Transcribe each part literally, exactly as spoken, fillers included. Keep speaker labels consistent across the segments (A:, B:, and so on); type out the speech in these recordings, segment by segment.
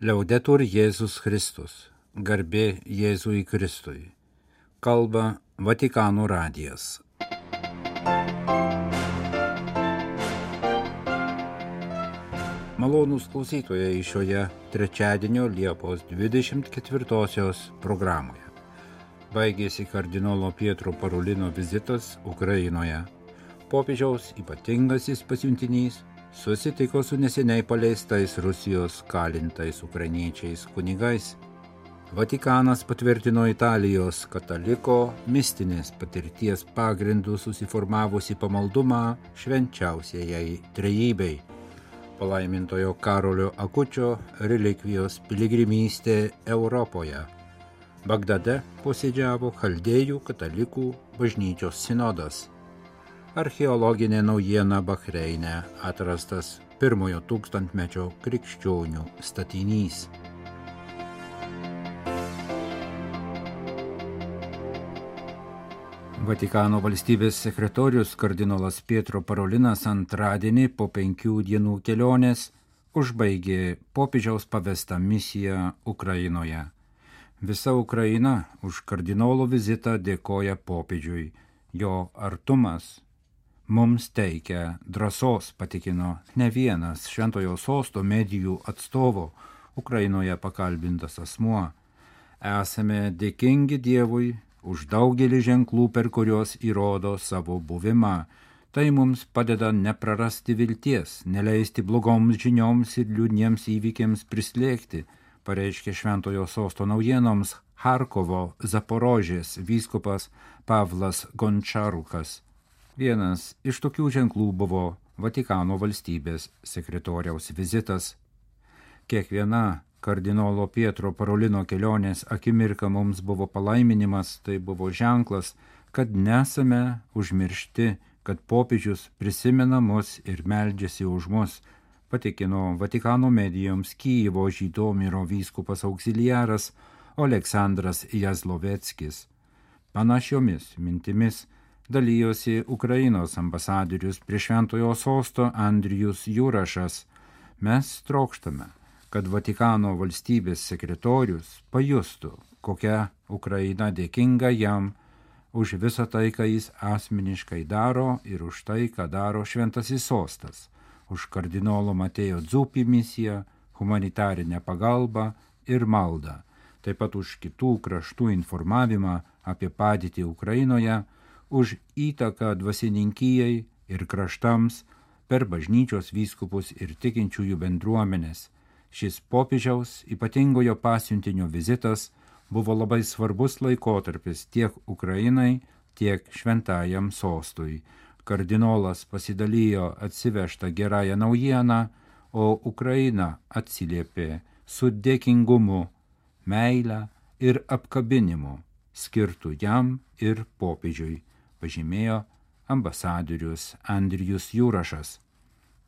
A: Liaudetur Jėzus Kristus, garbė Jėzui Kristui. Kalba Vatikano radijas. Malonūs klausytojai šioje trečiadienio Liepos dvidešimt ketvirtosios programoje. Baigėsi kardinolo Pietro Parolino vizitas Ukrainoje. Popiežiaus ypatingasis pasiuntinys susitiko su neseniai paleistais Rusijos kalintais ukrainiečiais kunigais. Vatikanas patvirtino Italijos kataliko mistinės patirties pagrindų susiformavusi pamaldumą švenčiausiajai trejybei. Palaimintojo Karolio Akučio relikvijos piligrimystė Europoje. Bagdade posėdžiavo Chaldėjų katalikų bažnyčios sinodas. Archeologinė naujiena Bahreine atrastas pirmojo tūkstantmečio krikščionių statinys. Vatikano valstybės sekretorius kardinolas Pietro Parolinas antradienį po penkių dienų kelionės užbaigė popiežiaus pavestą misiją Ukrainoje. Visa Ukraina už kardinolo vizitą dėkoja popiežiui. Jo artumas mums teikia drąsos, patikino ne vienas Šventojo sosto medijų atstovo Ukrainoje pakalbintas asmuo. Esame dėkingi Dievui už daugelį ženklų, per kuriuos įrodo savo buvimą. Tai mums padeda neprarasti vilties, neleisti blogoms žinioms ir liūdniems įvykiams prislėgti, pareiškė Šventojo sosto naujienoms Charkovo Zaporožės vyskupas Pavlas Gončarukas. Vienas iš tokių ženklų buvo Vatikano valstybės sekretoriaus vizitas. Kiekviena kardinolo Pietro Parolino kelionės akimirka mums buvo palaiminimas, tai buvo ženklas, kad nesame užmiršti, kad popiežius prisimena mus ir meldžiasi už mus, patikino Vatikano medijoms Kijevo Žytomiro vyskupas auxiliaras Oleksandras Jazloveckis. Panašiomis mintimis dalyjosi Ukrainos ambasadorius prie Šventojo sosto Andrijus Jurašas. Mes trokštame, kad Vatikano valstybės sekretorius pajustų, kokia Ukraina dėkinga jam už visą tai, ką jis asmeniškai daro ir už tai, ką daro Šventasis sostas, už kardinolo Matėjo Dzupį misiją, humanitarinę pagalbą ir maldą, taip pat už kitų kraštų informavimą apie padėtį Ukrainoje, už įtaką dvasininkijai ir kraštams per bažnyčios vyskupus ir tikinčiųjų bendruomenės. Šis popiežiaus ypatingojo pasiuntinio vizitas buvo labai svarbus laikotarpis tiek Ukrainai, tiek šventajam sostui. Kardinolas pasidalijo atsivežtą gerąją naujieną, o Ukraina atsiliepė su dėkingumu, meile ir apkabinimu skirtų jam ir popiežiui, pažymėjo ambasadorius Andrijus Jurašas.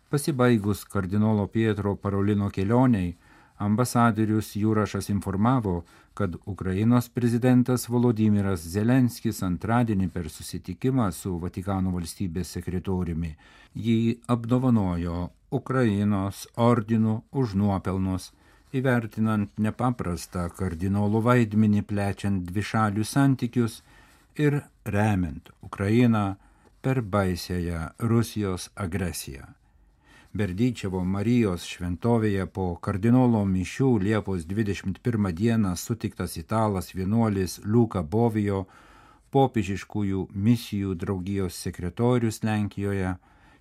A: Pasibaigus kardinolo Pietro Parolino kelioniai, ambasadorius Jurašas informavo, kad Ukrainos prezidentas Volodymyras Zelenskis antradienį per susitikimą su Vatikano valstybės sekretoriumi jį apdovanojo Ukrainos ordinu už nuopelnus, įvertinant nepaprastą kardinolo vaidmenį plečiant dvišalius santykius ir remiant Ukrainą per baisiąją Rusijos agresiją. Berdyčevo Marijos šventovėje po kardinolo mišių Liepos dvidešimt pirmą dieną sutiktas italas vienuolis Luka Bovijo, popiežiškųjų misijų draugijos sekretorius Lenkijoje,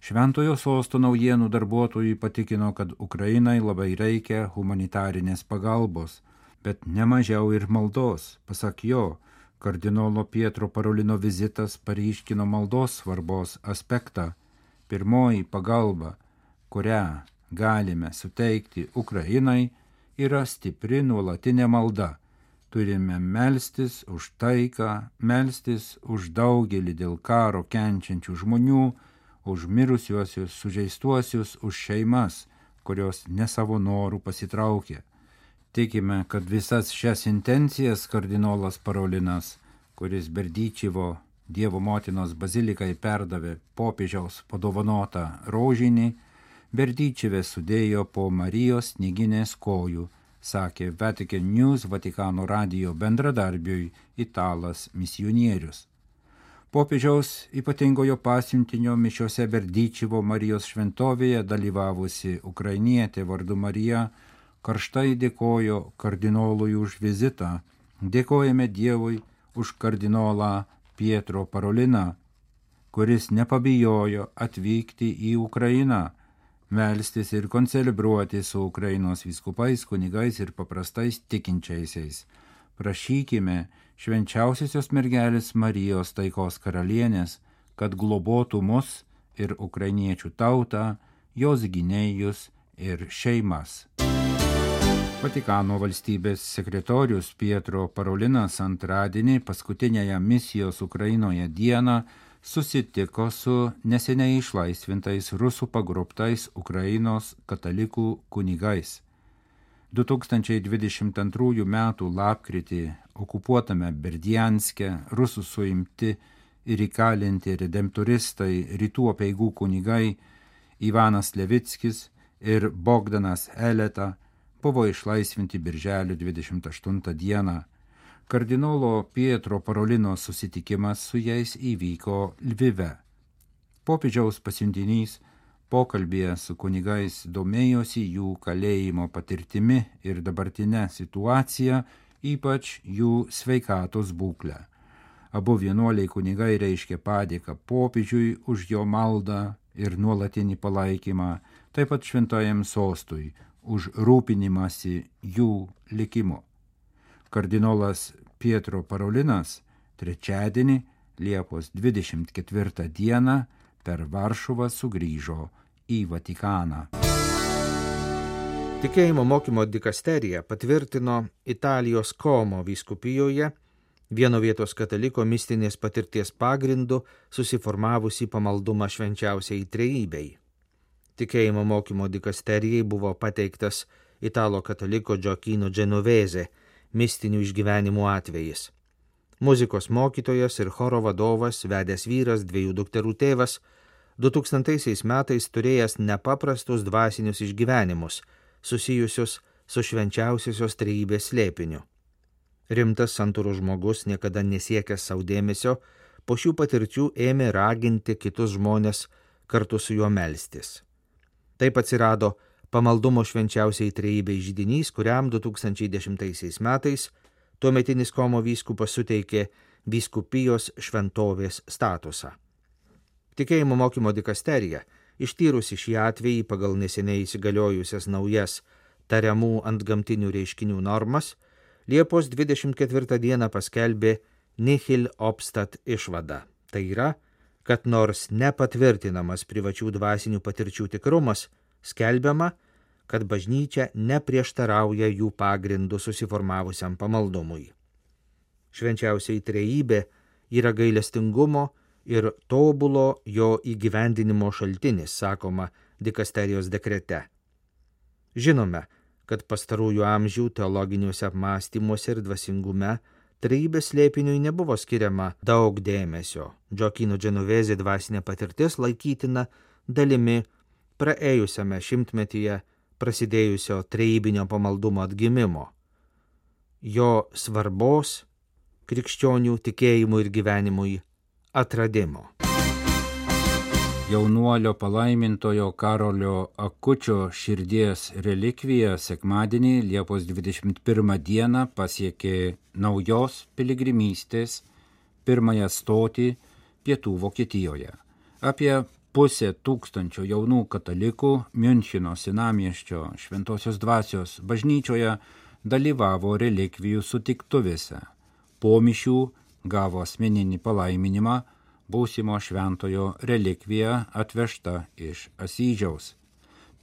A: Šventojo sosto naujienų darbuotojui patikino, kad Ukrainai labai reikia humanitarinės pagalbos, bet nemažiau ir maldos. Pasak jo, kardinolo Pietro Parolino vizitas paryškino maldos svarbos aspektą. Pirmoji pagalba, kurią galime suteikti Ukrainai, yra stipri nuolatinė malda. Turime melstis už taiką, melstis už daugelį dėl karo kenčiančių žmonių, už mirusiuosius, sužeistuosius, už šeimas, kurios ne savo norų pasitraukė. Tikime, kad visas šias intencijas kardinolas Parolinas, kuris Berdyčevo Dievo motinos bazilikai perdavė popiežiaus padovanotą rožinį, Berdyčeve sudėjo po Marijos knyginės kojų, sakė Vatican News Vatikano radijo bendradarbiui italas misionierius. Popiežiaus ypatingojo pasiuntinio mišiose Berdyčivo Marijos šventovėje dalyvavusi ukrainietė vardu Marija karštai dėkojo kardinolui už vizitą. Dėkojame Dievui už kardinolą Pietro Paroliną, kuris nepabijojo atvykti į Ukrainą, melstis ir koncelebruoti su Ukrainos vyskupais, kunigais ir paprastais tikinčiaisiais. Prašykime švenčiausiosios mergelės Marijos taikos karalienės, kad globotų mus ir ukrainiečių tautą, jos gynėjus ir šeimas. Vatikano valstybės sekretorius Pietro Parolinas antradienį paskutinėje misijos Ukrainoje dieną susitiko su neseniai išlaisvintais rusų pagrobtais Ukrainos katalikų kunigais. du tūkstančiai dvidešimt antrųjų metų lapkritį okupuotame Berdianske rusų suimti ir įkalinti redemptoristai rytų apeigų kunigai Ivanas Levickis ir Bogdanas Eleta buvo išlaisvinti birželio dvidešimt aštuntą dieną. Kardinolo Pietro Parolino susitikimas su jais įvyko Lvive. Popiežiaus pasiuntinys pokalbėje su kunigais domėjosi jų kalėjimo patirtimi ir dabartinę situaciją, ypač jų sveikatos būklę. Abu vienuoliai kunigai reiškė padėką popiežiui už jo maldą ir nuolatinį palaikymą, taip pat šventajam sostui už rūpinimąsi jų likimu. Kardinolas Pietro Parolinas trečiadienį Liepos dvidešimt ketvirtą dieną per Varšuvą sugrįžo į Vatikaną.
B: Tikėjimo mokymo dikasterija patvirtino Italijos Komo vyskupijoje vieno vietos kataliko mistinės patirties pagrindu susiformavusį pamaldumą švenčiausiai trejybei. Tikėjimo mokymo dikasterijai buvo pateiktas italo kataliko Gioacchino Genovese mistinių išgyvenimų atvejis. Muzikos mokytojas ir choro vadovas, vedęs vyras, dviejų dukterų tėvas, du tūkstantaisiais metais turėjęs nepaprastus dvasinius išgyvenimus, susijusius su švenčiausiosios trejybės slėpiniu. Rimtas santūrus žmogus, niekada nesiekęs savo dėmesio, po šių patirčių ėmė raginti kitus žmonės kartu su juo melstis. Taip atsirado pamaldumo švenčiausiai trejybei židinys, kuriam du tūkstančiai dešimtaisiais metais tuometinis Komo vyskupas suteikė vyskupijos šventovės statusą. Tikėjimo mokymo dikasterija, ištyrusi šį atvejį pagal neseniai įsigaliojusias naujas tariamų antgamtinių reiškinių normas, Liepos dvidešimt ketvirtą dieną paskelbė nihil obstat išvadą. Tai yra, kad nors nepatvirtinamas privačių dvasinių patirčių tikrumas, skelbiama, kad bažnyčia neprieštarauja jų pagrindų susiformavusiam pamaldumui. Švenčiausiai trejybė yra gailestingumo ir tobulo jo įgyvendinimo šaltinis, sakoma dikasterijos dekrete. Žinome, kad pastarųjų amžių teologiniuose apmąstymuose ir dvasingume trejybės slėpiniui nebuvo skiriama daug dėmesio. Gioacchino Genovese dvasinė patirtis laikytina dalimi praėjusiame šimtmetyje prasidėjusio trejybinio pamaldumo atgimimo, jo svarbos krikščionių tikėjimui ir gyvenimui atradimo.
A: Jaunuolio palaimintojo Karolio Akučio širdies relikvija sekmadienį Liepos dvidešimt pirmą dieną pasiekė naujos piligrimystės pirmąją stotį pietų Vokietijoje. Apie pusė tūkstančio jaunų katalikų Miuncheno senamiesčio Šventosios dvasios bažnyčioje dalyvavo relikvijų sutiktuvėse. Po mišių gavo asmeninį palaiminimą būsimo šventojo relikvija atvežta iš Asyžiaus.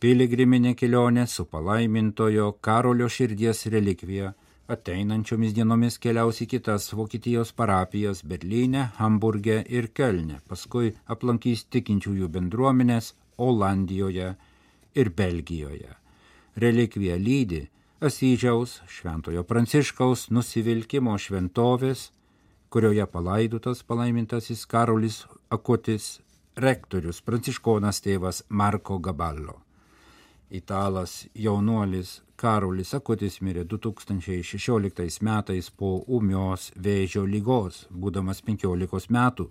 A: Piligriminė kelionė su palaimintojo Karolio širdies relikvija ateinančiomis dienomis keliaus į kitas Vokietijos parapijas Berlyne, Hamburge ir Kölne, paskui aplankys tikinčiųjų bendruomenės Olandijoje ir Belgijoje. Relikvija lydi Asyžiaus šventojo Pranciškaus nusivilkimo šventovės, kurioje palaidotas palaimintasis Karolis Akutis, rektorius pranciškonas tėvas Marko Gaballo. Italas jaunuolis Karolis Akutis mirė du tūkstančiai šešioliktais metais po ūmios vėžio ligos, būdamas penkiolikos metų.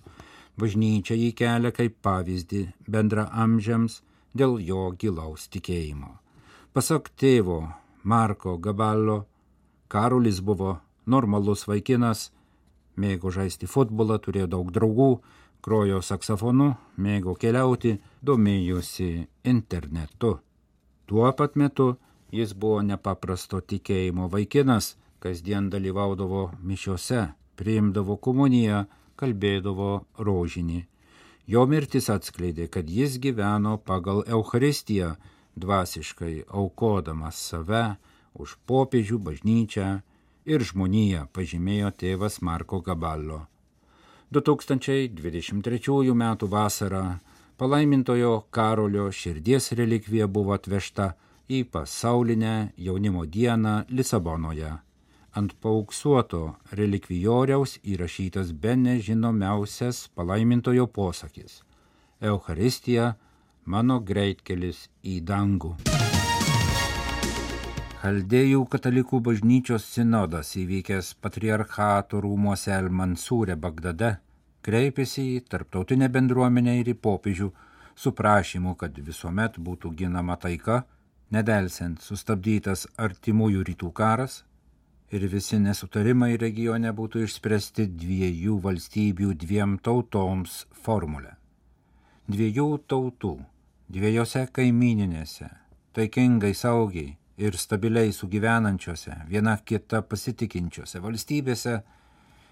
A: Bažnyčia jį kelia kaip pavyzdį bendraamžiams dėl jo gilaus tikėjimo. Pasak tėvo Marko Gaballo, Karolis buvo normalus vaikinas, mėgo žaisti futbolą, turėjo daug draugų, grojo saksofonu, mėgo keliauti, domėjosi internetu. Tuo pat metu jis buvo nepaprasto tikėjimo vaikinas, kasdien dalyvaudavo mišiose, priimdavo komuniją, kalbėdavo rožinį. Jo mirtis atskleidė, kad jis gyveno pagal Eucharistiją, dvasiškai aukodamas save už popiežių, bažnyčią ir žmoniją, pažymėjo tėvas Marko Gaballo. du tūkstančiai dvidešimt trečiųjų metų vasarą palaimintojo Karolio širdies relikvija buvo atvežta į pasaulinę jaunimo dieną Lisabonoje. Ant paauksuoto relikvijoriaus įrašytas bene žinomiausias palaimintojo posakis: Eucharistija – mano greitkelis į dangų. Chaldėjų katalikų bažnyčios sinodas įvykęs patriarchato rūmuose El-Mansūre Bagdade kreipėsi į tarptautinę bendruomenę ir į popiežių su prašymu, kad visuomet būtų ginama taika, nedelsiant sustabdytas artimųjų rytų karas ir visi nesutarimai regione būtų išspręsti dviejų valstybių dviem tautoms formulę. Dviejų tautų, dviejose kaimininėse, taikingai, saugiai ir stabiliai sugyvenančiose, viena kita pasitikinčiose valstybėse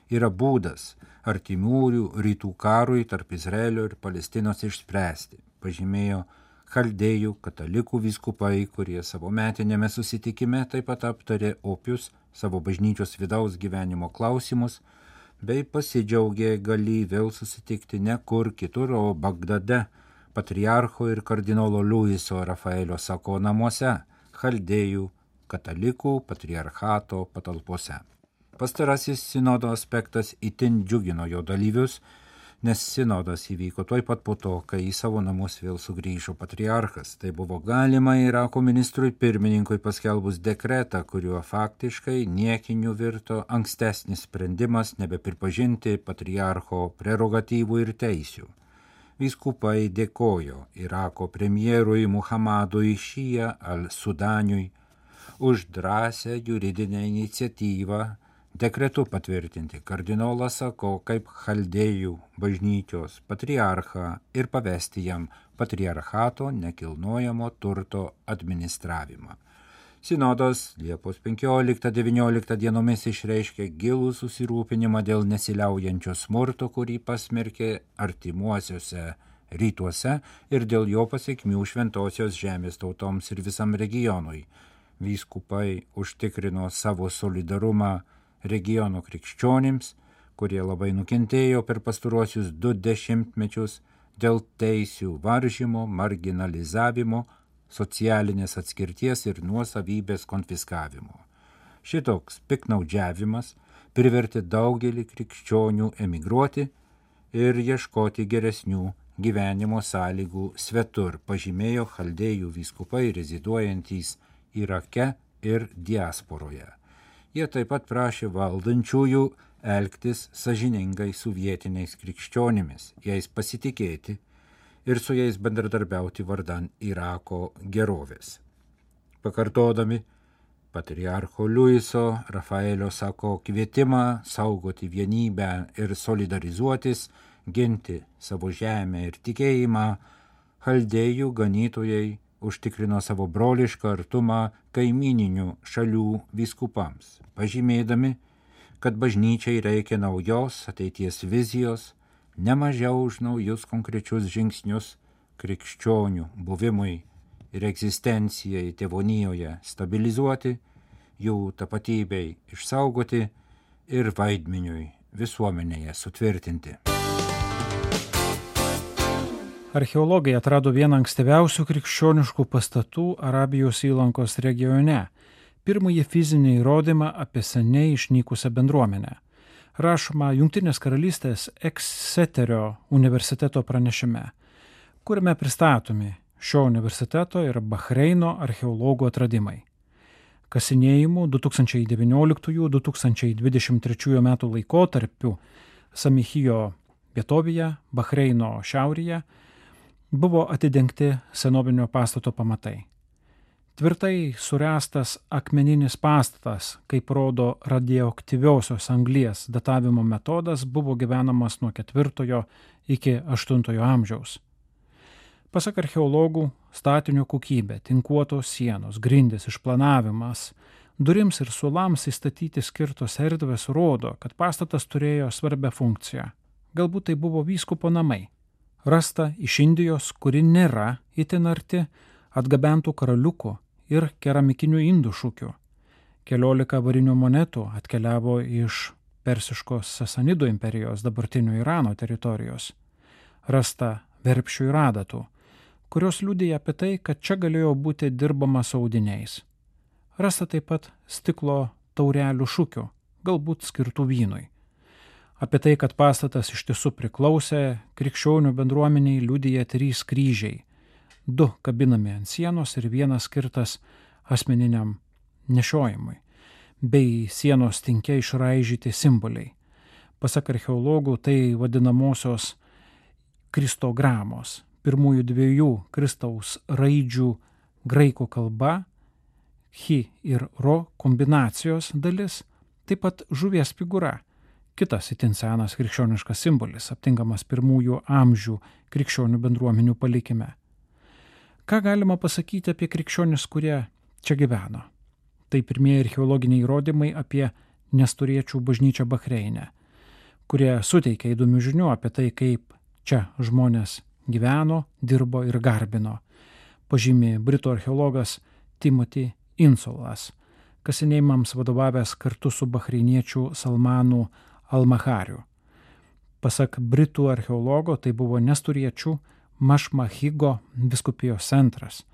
A: yra būdas artimųjų rytų karui tarp Izraelio ir Palestinos išspręsti, pažymėjo chaldėjų katalikų vyskupai, kurie savo metinėme susitikime taip pat aptarė opius savo bažnyčios vidaus gyvenimo klausimus, bei pasidžiaugė galį vėl susitikti ne kur kitur, o Bagdade, patriarcho ir kardinolo Luiso Rafaelio Sako namuose, chaldėjų katalikų patriarchato patalpose. Pastarasis sinodo aspektas itin džiugino jo dalyvius, nes sinodas įvyko tuoj pat po to, kai į savo namus vėl sugrįžo patriarchas. Tai buvo galima Irako ministrui pirmininkui paskelbus dekretą, kuriuo faktiškai niekiniu virto ankstesnis sprendimas nebepripažinti patriarcho prerogatyvų ir teisių. Vyskupai dėkojo Irako premjerui Muhammadui Šija al-Sudaniui už drąsią juridinę iniciatyvą dekretu patvirtinti kardinolą Sako kaip chaldėjų bažnyčios patriarchą ir pavesti jam patriarchato nekilnojamo turto administravimą. Sinodas Liepos penkioliktą devynioliktą dienomis išreiškė gilų susirūpinimą dėl nesiliaujančio smurto, kurį pasmerkė artimuosiuose rytuose ir dėl jo pasekmių šventosios žemės tautoms ir visam regionui. Vyskupai užtikrino savo solidarumą regiono krikščionims, kurie labai nukentėjo per pastaruosius du dešimtmečius dėl teisių varžymo, marginalizavimo, socialinės atskirties ir nuosavybės konfiskavimo. Šitoks piknaudžiavimas privertė daugelį krikščionių emigruoti ir ieškoti geresnių gyvenimo sąlygų svetur, pažymėjo chaldėjų vyskupai reziduojantys Irake ir diasporoje. Jie taip pat prašė valdančiųjų elgtis sąžiningai su vietiniais krikščionimis, jais pasitikėti ir su jais bendradarbiauti vardan Irako gerovės. Pakartodami patriarcho Luiso Rafaelio Sako kvietimą saugoti vienybę ir solidarizuotis, ginti savo žemę ir tikėjimą, chaldėjų ganytojai užtikrino savo brolišką artumą kaimininių šalių vyskupams, pažymėdami, kad bažnyčiai reikia naujos ateities vizijos, nemažiau už naujus konkrečius žingsnius krikščionių buvimui ir egzistencijai tėvonijoje stabilizuoti, jų tapatybei išsaugoti ir vaidmeniui visuomenėje sutvirtinti.
C: Archeologai atrado vieną ankstyviausių krikščioniškų pastatų Arabijos įlankos regione, pirmąjį fizinį įrodymą apie seniai išnykusią bendruomenę. Rašoma Jungtinės karalystės Exeterio universiteto pranešime, kuriame pristatomi šio universiteto ir Bahreino archeologų atradimai. Kasinėjimų du tūkstančiai devynioliktųjų - du tūkstančiai dvidešimt trečiųjų metų laikotarpiu Samichijo vietovėje, Bahreino šiaurėje, buvo atidengti senovinio pastato pamatai. Tvirtai suręstas akmeninis pastatas, kaip rodo radioaktyviosios anglies datavimo metodas, buvo gyvenamas nuo ketvirtojo iki aštuntojo amžiaus. Pasak archeologų, statinio kokybė, tinkuotos sienos, grindys, išplanavimas, durims ir suolams įstatyti skirtos erdvės rodo, kad pastatas turėjo svarbią funkciją. Galbūt tai buvo vyskupo namai. Rasta iš Indijos, kuri nėra itin arti, atgabentų karaliukų ir keramikinių indų šukių. Keliolika varinių monetų atkeliavo iš Persiškos Sasanidų imperijos dabartinio Irano teritorijos. Rasta verpšių ir adatų, kurios liudija apie tai, kad čia galėjo būti dirbama su audiniais. Rasta taip pat stiklo taurelių šukių, galbūt skirtų vynui. Apie tai, kad pastatas iš tiesų priklausė krikščionių bendruomeniai, liudija trys kryžiai. Du kabinami ant sienos ir vienas skirtas asmeniniam nešiojimui, bei sienos tinke išraižyti simboliai. Pasak archeologų, tai vadinamosios kristogramos, pirmųjų dviejų Kristaus raidžių graikų kalba, chi ir ro kombinacijos dalis, taip pat žuvies figūra, kitas itin senas krikščioniškas simbolis, aptinkamas pirmųjų amžių krikščionių bendruomenių palikime. Ką galima pasakyti apie krikščionis, kurie čia gyveno? Tai pirmieji archeologiniai įrodymai apie nestoriečių bažnyčią Bahreine, kurie suteikia įdomių žinių apie tai, kaip čia žmonės gyveno, dirbo ir garbino, pažymi britų archeologas Timothy Insulas, kasinėjimams vadovavęs kartu su bahreiniečių Salmanu Al-Mahariu. Pasak britų archeologo, tai buvo nestoriečių Mašmahigo vyskupijos centras.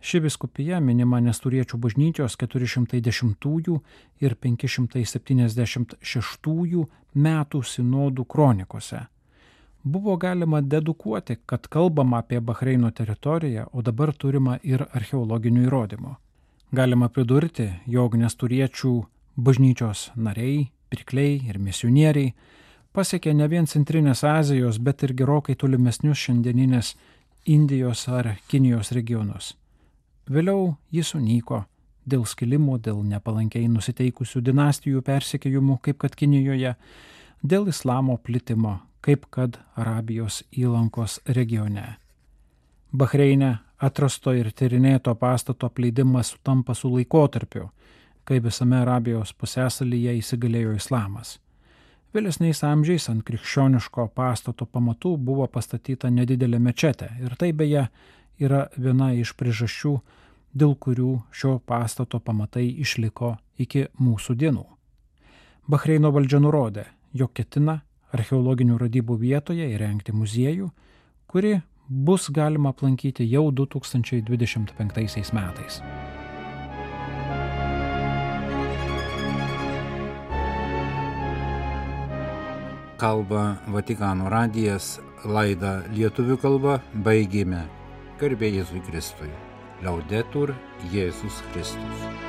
C: Ši vyskupija minima nestoriečių bažnyčios keturi šimtai dešimtųjų ir penki šimtai septyniasdešimt šeštųjų metų sinodų kronikose. Buvo galima dedukuoti, kad kalbama apie Bahreino teritoriją, o dabar turima ir archeologinių įrodymų. Galima pridurti, jog nestoriečių bažnyčios nariai, pirkliai ir misionieriai pasiekė ne vien Centrinės Azijos, bet ir gerokai tolimesnius šiandieninės Indijos ar Kinijos regionus. Vėliau jis sunyko dėl skilimo, dėl nepalankiai nusiteikusių dinastijų persekiojimų, kaip kad Kinijoje, dėl islamo plitimo, kaip kad Arabijos įlankos regione. Bahreine atrasto ir tyrinėto pastato apleidimas sutampa su laikotarpiu, kai visame Arabijos pusiasalyje įsigalėjo islamas. Vėlesniais amžiais ant krikščioniško pastato pamatų buvo pastatyta nedidelė mečetė ir tai beje yra viena iš priežasčių, dėl kurių šio pastato pamatai išliko iki mūsų dienų. Bahreino valdžia nurodė, jog ketina archeologinių radybų vietoje įrengti muziejų, kuri bus galima aplankyti jau du tūkstančiai dvidešimt penktaisiais metais.
A: Kalba Vatikano radijas, laidą lietuvių kalba baigėme. Garbė Jėzui Kristui. Laudetur Jėzus Kristus.